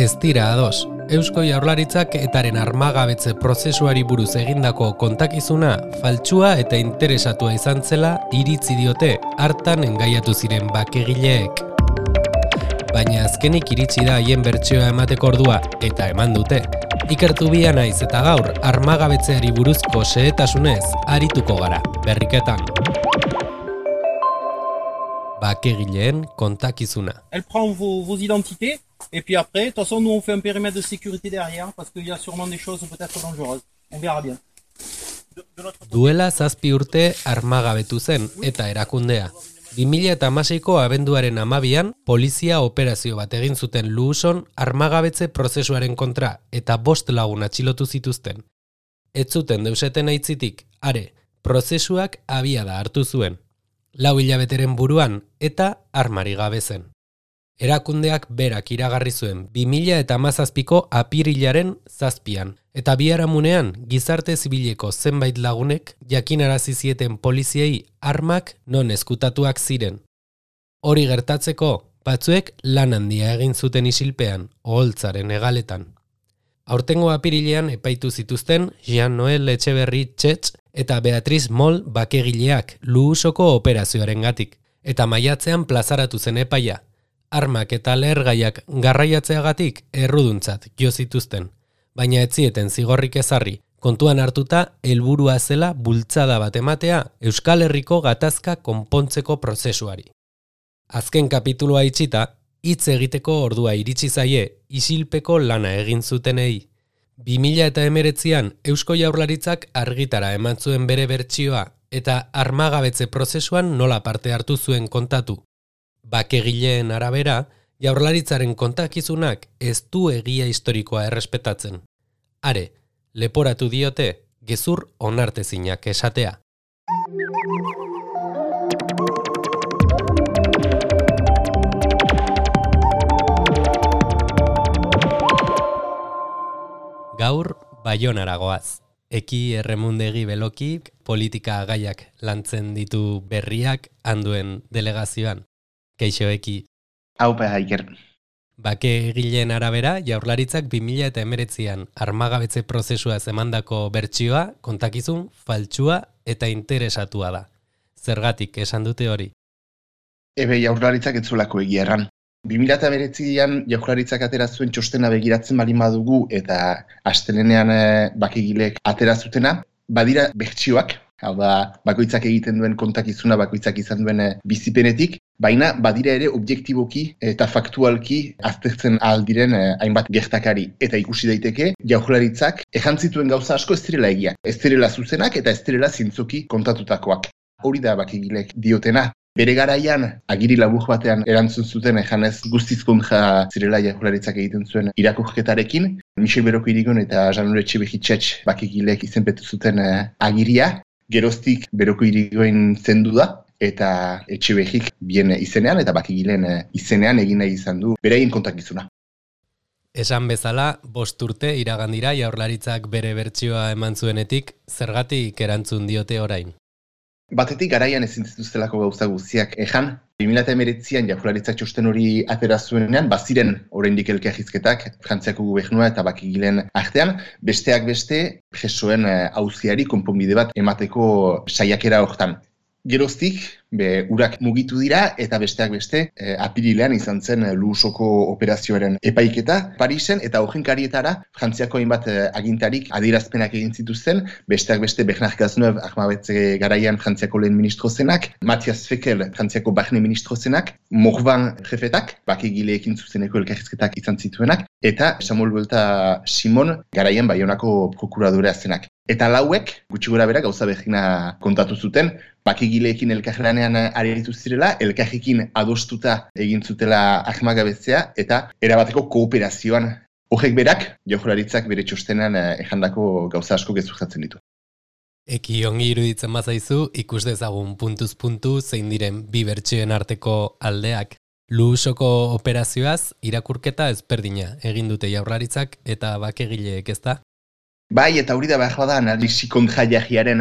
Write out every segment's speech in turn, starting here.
ez dira ados. Eusko Jaurlaritzak etaren armagabetze prozesuari buruz egindako kontakizuna faltsua eta interesatua izan zela iritzi diote hartan engaiatu ziren bakegileek. Baina azkenik iritsi da haien bertsioa emateko ordua eta eman dute. Ikertu bia naiz eta gaur armagabetzeari buruzko xehetasunez arituko gara, berriketan. Bakegileen kontakizuna. Elle prend vos identités et puis après, de toute façon, nous on fait un périmètre de sécurité derrière parce qu'il y a sûrement des choses peut-être dangereuses. On verra bien. Duela 7 urte armagabetu zen eta erakundea. 2016ko abenduaren 12an polizia operazio bat egin zuten Luuson armagabetze prozesuaren kontra eta 5 lagun atxilotu zituzten. Ez zuten deuseten aitzitik, are, prozesuak abiada hartu zuen. 4 hilabeteren buruan eta armari gabe zen. Erakundeak berak iragarri zuen 2017ko apirilaren 7an, eta biharamunean gizarte zibileko zenbait lagunek jakinarazi zieten poliziei armak non eskutatuak ziren. Hori gertatzeko, batzuek lan handia egin zuten isilpean, oholtzaren hegaletan. Aurtengo apirilean epaitu zituzten Jean-Noel Etxeberri Txetx eta Beatriz Moll bakegileak Luusoko operazioarengatik, eta maiatzean plazaratu zen epaia. Armak eta lehergaiak garraiatzeagatik erruduntzat jo zituzten, baina ez zieten zigorrik ezarri, kontuan hartuta helburua zela bultzada bat ematea Euskal Herriko gatazka konpontzeko prozesuari. Azken kapitulua itxita, hitz egiteko ordua iritsi zaie isilpeko lana egin zutenei. 2019an Eusko Jaurlaritzak argitara eman zuen bere bertsioa eta armagabetze prozesuan nola parte hartu zuen kontatu. Bakegileen arabera, Jaurlaritzaren kontakizunak ez du egia historikoa errespetatzen. Are, leporatu diote, gezur onartezinak esatea. Gaur, Baionara goaz. Eki Erremundegi Beloki politika gaiak lantzen ditu berriak handuen delegazioan. Keixo Eki. Haupa Iker. Bakegileen arabera, Jaurlaritzak 2019an armagabetze prozesua emandako bertsioa, kontakizun, faltsua eta interesatua da. Zergatik esan dute hori? Jaurlaritzak ez zuelako egia erran. 2019an Jaurlaritzak atera zuen txostena begiratzen baldin badugu eta astelenean bakegileek atera zutena, badira bertsioak, hau da, bakoitzak egiten duen kontakizuna, bakoitzak izan duen bizipenetik, baina badira ere objektiboki eta faktualki aztertzen aldiren hainbat gertakari. Eta ikusi daiteke, Jaurlaritzak ejantzituen gauza asko ez direla egia. Ez direla zuzenak eta ez direla zintzoki kontatutakoak. Hori da bakegilek diotena. Bere garaian, agiri labur batean erantzun zuten ejanez guztiz kontra zirela Jaurlaritzak egiten zuen irakurketarekin. Michel Beroko Irigon eta Jean-Noel Etxeberri Txetx bakegilek izenpetu zuten agiria. Geroztik Beroko Irigoen zendu da. Eta Etxeberrik bien izenean eta bakegileen izenean egin nahi izan du beraien kontakizuna. Esan bezala, 5 urte iragandira Jaurlaritzak bere bertsioa eman zuenetik, zergatik erantzun diote orain? Batetik garaian ezin zituztelako gauza guztiak ejan. 2019an Jaurlaritzak txosten hori atera zuenean, baziren oraindik elkarrizketak Frantziako gobernua eta bakegileen artean, besteak beste presoen auziari konponbide bat emateko saiakera hortan. Geroztik, urak mugitu dira eta besteak beste apirilean izan zen Luusoko operazioaren epaiketa Parisen eta horrenkarietara Frantziako hainbat agintarik adierazpenak egin zituzten, besteak beste Bernard Cazeneuve armagabetze garaian Frantziako lehen ministro zenak, Matthias Fekl Frantziako barne ministro zenak, Morvan jefetak, bakegileekin zuzeneko elkarrizketak izan zituenak, eta Samuel Buelta Simon garaian Baionako prokuradorea zenak. Eta lauek, gutxi gora bera gauza berdina kontatu zuten, bakegileekin elkarlanean aritu zirela, elkarrekin adostuta egin zutela armagabetzea eta erabateko kooperazioan. Horrek berak, Jaurlaritzak bere txostenan ejandako gauza asko gezurtatzen ditu. Eki ongi iruditzen bazaizu, ikus dezagun puntuz puntu zein diren bi bertsioen arteko aldeak. Luusoko operazioaz irakurketa ezberdina egin dute Jaurlaritzak eta bakegileek, ezta? Bai, eta hori da behar bada analisi kontrajaiaren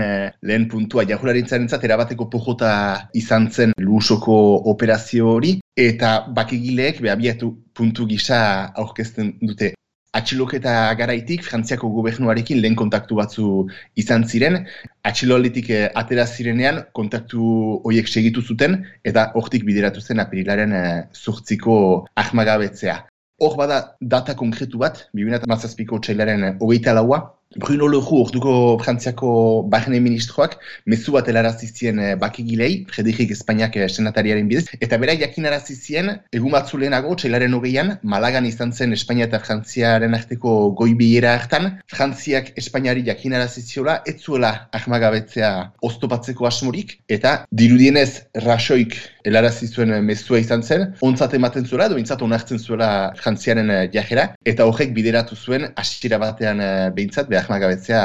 lehen puntua. Jaurlaritzarentzat erabateko pojota izan zen Luusoko operazio hori, eta bakegileek abiatu puntu gisa aurkezten dute. Atxiloketa garaitik, Frantziako gobernuarekin lehen kontaktu batzu izan ziren, atxiloalditik atera zirenean kontaktu horiek segitu zuten, eta hortik bideratu zen apirilaren 8ko ahmagabetzea. Hor bada data konkretu bat, 2017ko otsailaren 24a, Bruno Leroux, orduko Frantziako barne ministroak, mezu bat helarazi zien bakegilei, Frederik Espainiak senatariaren bidez, eta bera jakinarazi zien, egun batzu lehenago, otsailaren 20an, Malagan izan zen Espainia eta Frantziaren arteko goi bilera hartan, Frantziak Espainiari jakinarazi ziola, ez zuela ahmagabetzea oztopatzeko asmorik, eta dirudienez Rajoyk helarazi zuen mezua izan zen, ontzat ematen zuela, edo intzat onartzen zuela Frantziaren jajera, eta horrek bideratu zuen hasiera batean behintzat, ahmagabetzea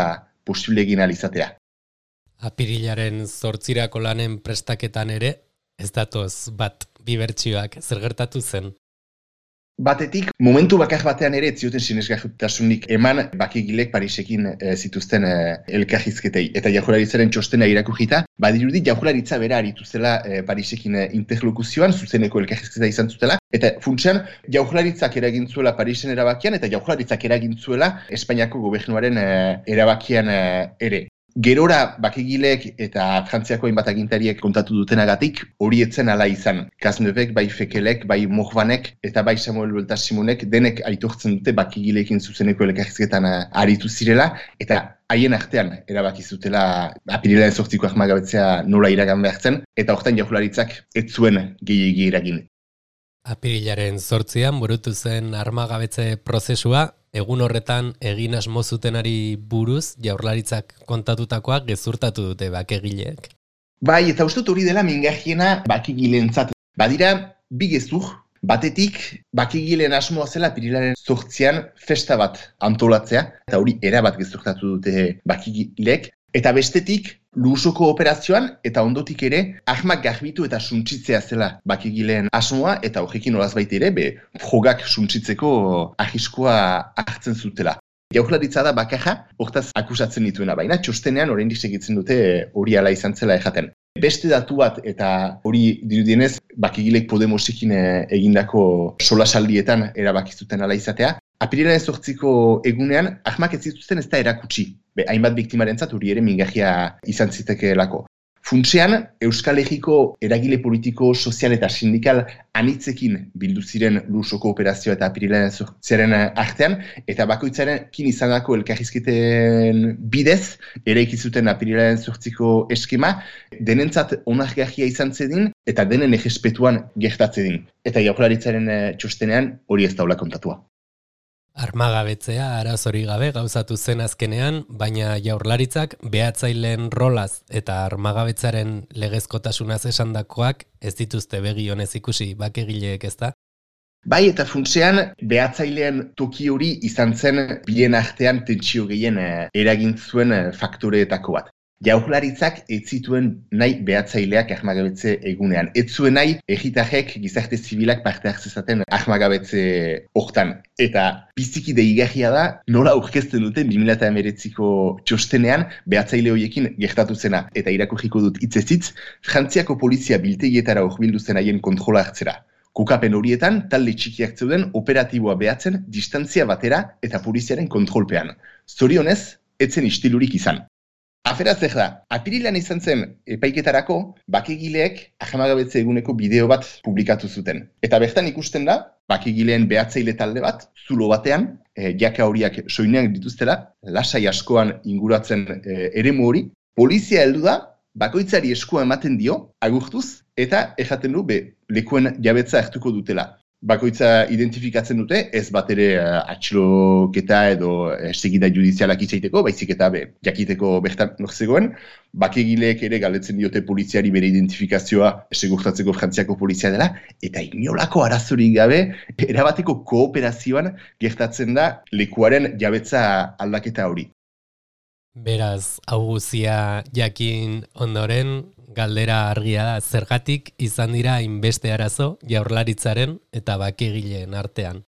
posible egin alizatea. Apirilaren 8irako lanen prestaketan ere, ez datoz bat bibertsioak zer gertatu zen? Batetik, momentu bakar batean ere ez zioten sinesgarritasunik eman bakegilek Parisekin zituzten elkarrizketei. Eta Jaurlaritzaren txostena irakurrita, badirudi Jaurlaritza bera aritu zela Parisekin interlokuzioan, zuzeneko elkarrizketa izan zutela, eta funtsean Jaurlaritzak eragin zuela Parisen erabakian, eta Jaurlaritzak eragin zuela Espainiako gobernuaren erabakian ere. Gerora bakegilek eta Frantziako hainbat agintariek kontatu dutenagatik hori etzen hala izan. Cazeneuve, bai Fekelek, bai Morvanek eta bai Samuel Buelta Simonek denek aitortzen dute bakegileekin zuzeneko elkarrizketan aritu zirela eta haien artean erabaki zutela apirilaren 8ko ahmagabetzea nola iragan behartzen eta hortan Jaurlaritzak ez zuen gehiegi eragin. Apirilaren 8an burutu zen armagabetze prozesua, egun horretan egin asmo zutenari buruz Jaurlaritzak kontatutakoak gezurtatu dute bakegileek. Bai, eta uste hori dela mingarriena bakegileentzat. Badira, bi gezur, batetik bakegileen asmoa zela apirilaren 8an festa bat antolatzea, eta hori erabat gezurtatu dute bakegileek, eta bestetik Luusoko operazioan eta ondotik ere ahmak garbitu eta suntsitzea zela bakegileen asmoa eta horrekin olazbait ere frogak suntsitzeko arriskua hartzen zutela. Jaurlaritza da bakarra hortaz akusatzen dituena, baina txostenean oraindik segitzen dute hori hala izan zela ejaten. Beste datu bat eta hori dirudienez bakegilek Podemosekin egindako solasaldietan erabaki zuten hala izatea. Apirilaren 8ko egunean ahmak ez zituzten ez da erakutsi. Hainbat biktimarentzat hori ere mingarria izan zitekeelako. Funtsean, Euskal Herriko eragile politiko, sozial eta sindikal anitzekin bildu ziren Luusoko operazioa eta apirilaren 8aren artean, eta bakoitzarekin izandako elkarrizketen bidez, eraiki zuten apirilaren 8ko eskema, denentzat onargarria izan zedin, eta denen errespetuan gertatzedin. Eta Jaurlaritzaren txostenean hori ez daula kontatua. Armagabetzea arazori gabe gauzatu zen azkenean, baina Jaurlaritzak behatzaileen rolaz eta armagabetzaren legezkotasunaz esandakoak ez dituzte begi honez ikusi bakegileek, ezta? Bai, eta funtsean behatzaileen toki hori izan zen bien artean tentsio gehien eragin zuen faktoreetako bat. Jaurlaritzak ez zituen nahi behatzaileak ahmagabetze egunean. Ez zuen nahi herritarrek gizarte zibilak parte hartzezaten ahmagabetze hortan. Eta biziki deigarria da nola aurkezten duten 2019ko txostenean behatzaile horiekin gertatu zena. Eta irakurriko dut hitzez hitz, Frantziako polizia biltegietara hurbildu zen haien kontrola hartzera. Kokapen horietan, talde txikiak zeuden operatiboa behatzen distantzia batera eta poliziaren kontrolpean. Zorionez, etzen istilurik izan. Afera zer da, apirilan izan zen epaiketarako, bakegileek ahmagabetze eguneko bideo bat publikatu zuten. Eta bertan ikusten da, bakegileen behatzaile talde bat, zulo batean, jaka horiak soinean dituztela, lasai askoan inguratzen eremu hori, polizia heldu da, bakoitzari eskua ematen dio, agurtuz, eta ejaten du lekuen jabetza hartuko dutela. Bakoitza identifikatzen dute, ez bat ere atxiloketa edo segida judizialak itzaiteko, baizik eta jakiteko bertan norzegoen, bakegileek ere galdetzen diote poliziari bere identifikazioa segurtatzeko Frantziako polizia dela, eta inolako arazorik gabe, erabateko kooperazioan gertatzen da lekuaren jabetza aldaketa hori. Beraz, hau guzia jakin ondoren, galdera argia da, zergatik izan dira hainbeste arazo Jaurlaritzaren eta bakegileen artean.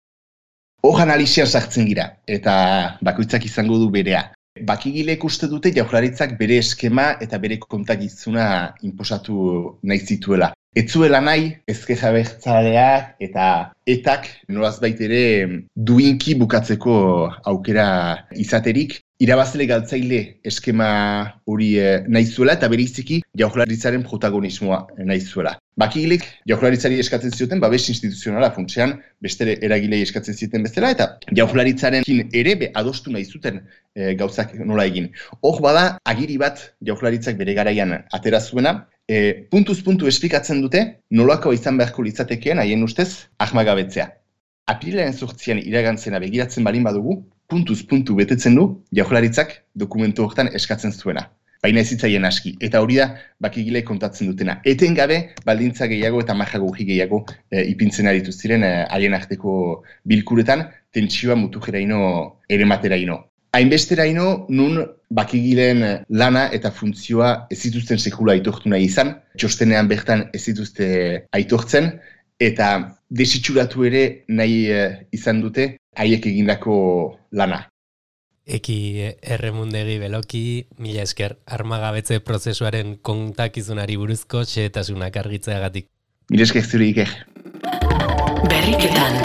Hor analisian sartzen gira, eta bakoitzak izango du berea. Bakigilek uste dute Jaurlaritzak bere eskema eta bere kontakizuna inposatu nahi zituela. Ez zuela nahi, ezker abertzaleak eta etak nolazbait ere duinki bukatzeko aukera izaterik, irabazle galtzaile eskema hori nahi zuela eta beriziki Jaurlaritzaren protagonismoa nahi zuela. Bakigilek Jaurlaritzari eskatzen zioten babes instituzionala funtsean beste eragilei eskatzen zioten bezala eta Jaurlaritzarekin ere adostu nahi zuten gauzak nola egin. Hor bada agiri bat Jaurlaritzak bere garaian atera zuena, puntuz puntu esplikatzen dute nolako izan beharko litzatekeen haien ustez armagabetzea. Apirilaren 8 iragantzena begiratzen balin badugu, puntuz puntu betetzen du Jaurlaritzak dokumentu hortan eskatzen zuena. Baina ez zitzaien aski, eta hori da Bakigilek kontatzen dutena. Etengabe baldintza gehiago eta marragogi gehiago ipintzen aritu ziren haien arteko bilkuretan, tentsioa mutujeraino ere materaino. Hainbesteraino nun Bakigilen lana eta funtzioa ez zituzten sekula aitortu nahi izan, txostenean bertan ez zituzte aitortzen, eta desitxuratu ere nahi izan dute haiek egindako lana. Eki Erremundegi Beloki, mila esker armagabetze prozesuaren kontakizunari buruzko xehetasunak argitzeagatik. Mila esker zure Iker. Berriketan.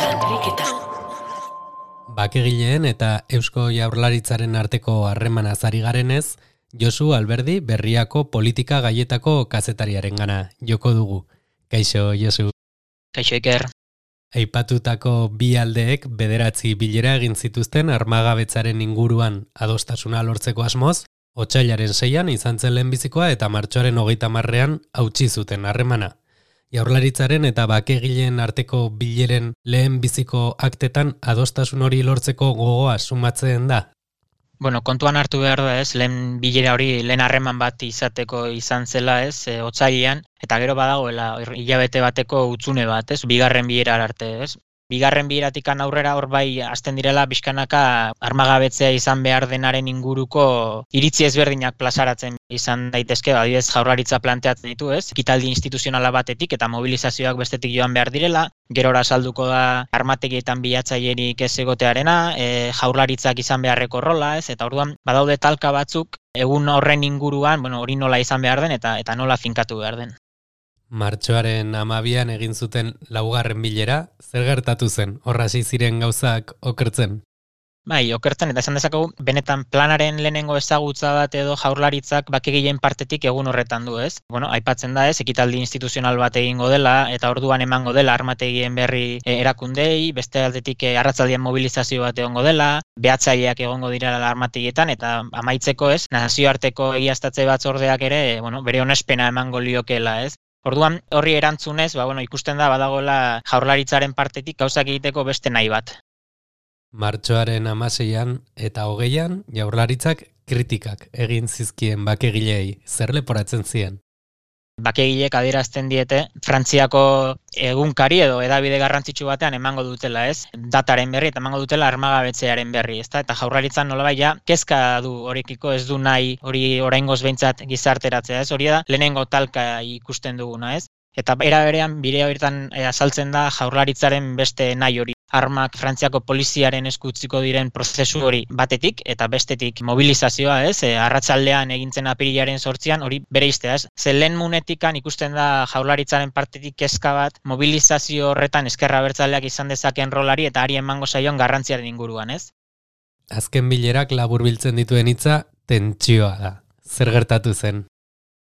Bakegileen eta Eusko Jaurlaritzaren arteko harremanaz ari garenez, Josu Alberdi Berriako politika gaietako kazetariarengana joko dugu. Kaixo, Josu. Kaixo, Iker. Aipatutako bi aldeek 9 bilera egin zituzten armagabetzaren inguruan adostasuna lortzeko asmoz, otsailaren 6 izan zen lehenbizikoa eta martxoaren 30 hautsi zuten harremana. Jaurlaritzaren eta bakegileen arteko bileren lehenbiziko aktetan adostasun hori lortzeko gogoa sumatzen da. Bueno, kontuan hartu behar da ez, lehen bilera hori, lehen harreman bat izateko izan zela ez, otsailean, eta gero badagoela hilabete bateko hutsune bat ez, bigarren bilera arte ez. Bigarren bileratikan aurrera hor bai hasten direla bizkanaka armagabetzea izan behar denaren inguruko iritzi ezberdinak plazaratzen izan daitezke, adibidez Jaurlaritza planteatzen ditu ez, ekitaldi instituzionala batetik eta mobilizazioak bestetik joan behar direla, gerora salduko da armategietan bilatzailerik ez egotearena, Jaurlaritzak izan beharreko rola ez, eta orduan badaude talka batzuk egun horren inguruan, hori nola izan behar den eta nola finkatu behar den. Martxoaren 12 egin zuten 4. bilera, zer gertatu zen, horra hasi ziren gauzak okertzen? Bai, okertzen, eta esan dezakegu, benetan planaren lehenengo ezagutza bat edo Jaurlaritzak bakegileen partetik egun horretan du ez. Aipatzen da ez, ekitaldi instituzional bat egingo dela, eta orduan emango dela armategien berri erakundei, beste aldetik arratzaldian mobilizazio bat egongo dela, behatzaileak egongo dira armategietan, eta amaitzeko ez, nazioarteko egiaztatze batzordeak ere, bere onespena emango liokela ez. Orduan, horri erantzunez, ikusten da badagoela Jaurlaritzaren partetik gauzak egiteko beste nahi bat. Martxoaren 16 eta 20 Jaurlaritzak kritikak egin zizkien bakegileei, zer leporatzen zien? Bakegilek adierazten diete Frantziako egunkari edo hedabide garrantzitsu batean emango dutela ez, dataren berri eta emango dutela armagabetzearen berri, ezta? Eta Jaurlaritzan nolabait ja kezka du horrekiko, ez du nahi hori oraingoz behintzat gizarteratzea ez, hori da lehenengo talka ikusten duguna ez. Eta era berean bire horietan azaltzen da Jaurlaritzaren beste nahi hori. Armak Frantziako poliziaren esku utziko diren prozesu hori batetik eta bestetik mobilizazioa ez, arratsaldean egintzen apirilaren 8 hori bere iztea ez. Ze lehen munetikan ikusten da Jaurlaritzaren partetik kezka bat mobilizazio horretan ezker abertzaleak izan dezakeen rolari eta hari emango zaion garrantziaren inguruan ez. Azken bilerak laburbiltzen dituen hitza tentsioa da. Zer gertatu zen?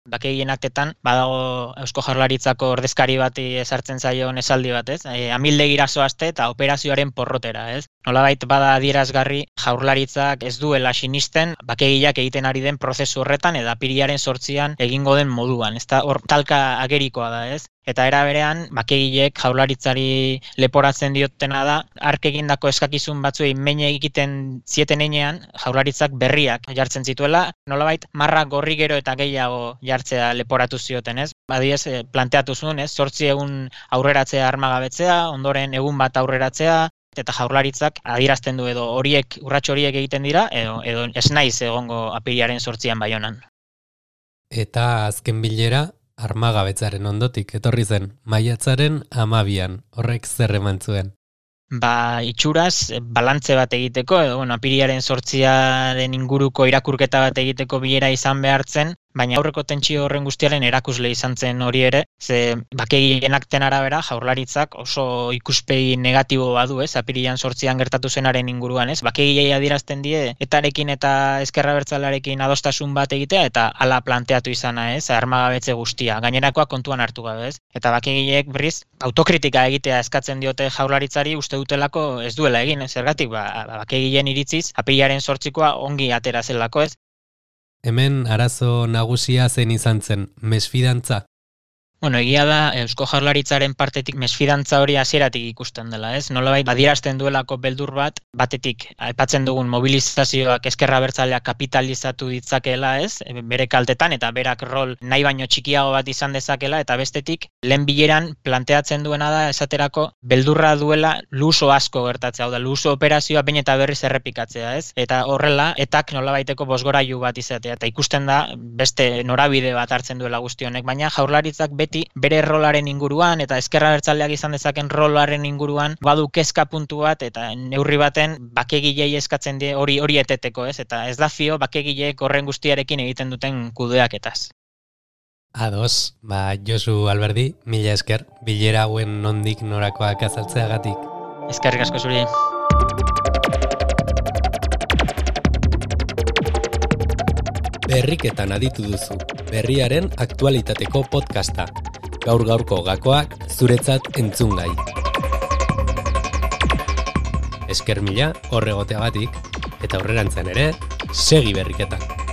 Bakegien aktetan, badago Eusko Jaurlaritzako ordezkari bati ezartzen zaion esaldi bat, ez? Amildegira zoazte eta operazioaren porrotera, ez? Nolabait bada adierazgarri Jaurlaritzak ez duela sinisten bakegileak egiten ari den prozesu horretan eta apirilaren 8 egingo den moduan, ezta hor talka agerikoa da, ez? Eta era berean, bakegilek Jaurlaritzari leporatzen diotena da, hark egindako eskakizun batzuei men egiten zieten heinean, Jaurlaritzak berriak jartzen zituela, nolabait marra gorri gero eta gehiago jartzea leporatu zioten, ez? Badiez, planteatu zuen, ez? 8 egun aurreratzea armagabetzea, ondoren egun bat aurreratzea, eta Jaurlaritzak adierazten du edo urrats horiek egiten dira, edo ez naiz egongo apirilaren 8 Baionan. Eta azken bilera, armagabetzaren ondotik etorri zen, maiatzaren 12, horrek zer eman zuen? itxuraz balantze bat egiteko, edo apiriaren 8 inguruko irakurketa bat egiteko bilera izan behartzen, baina aurreko tentsio horren guztiaren erakusle izan zen hori ere, ze bakegien akten arabera jaurlaritzak oso ikuspegi negatibo badu, apirian 8 gertatu zenaren inguruan, bakegiei adierazten die etarekin eta ezker abertzalearekin adostasun bat egitea eta hala planteatu izana, armagabetze guztia, gainerakoa kontuan hartu gabe, eta bakegiek berriz autokritika egitea eskatzen diote jaurlaritzari uste dutelako ez duela egin, zergatik bakegien iritziz apiriaren 8koa ongi atera zelako, Hemen arazo nagusia zen izan zen, mesfidantza. Bueno, egia da Eusko Jaurlaritzaren partetik mesfidantza hori hasieratik ikusten dela, Nolabait adierazten duelako beldur batetik aipatzen dugun mobilizazioak ezker abertzaleak kapitalizatu ditzakeela, bere kaltetan eta berak rol nahi baino txikiago bat izan dezakela, eta bestetik lehen bileran planteatzen duena da esaterako beldurra duela luso asko gertatzea, hau da luso operazioa behin eta berriz errepikatzea, Eta horrela etak nolabaiteko bozgorailu bat izatea, eta ikusten da beste norabide bat hartzen duela guzti honek, baina Jaurlaritzak beti bere rolaren inguruan eta ezker abertzaleak izan dezaken rolaren inguruan badu kezka puntu bat eta neurri baten bakegilei eskatzen die hori eteteko, eta ez da fio bakegileek horren guztiarekin egiten duten kudeaketaz. Ados, Josu Alberdi, mila esker, bilera hauen nondik norakoak azaltzeagatik. Eskerrik asko zuri. Berriketan aditu duzu, berriaren aktualitateko podcasta. Gaur-gaurko gakoak zuretzat entzungai. Esker mila horregoteagatik, eta aurrerantzen ere, segi berriketan.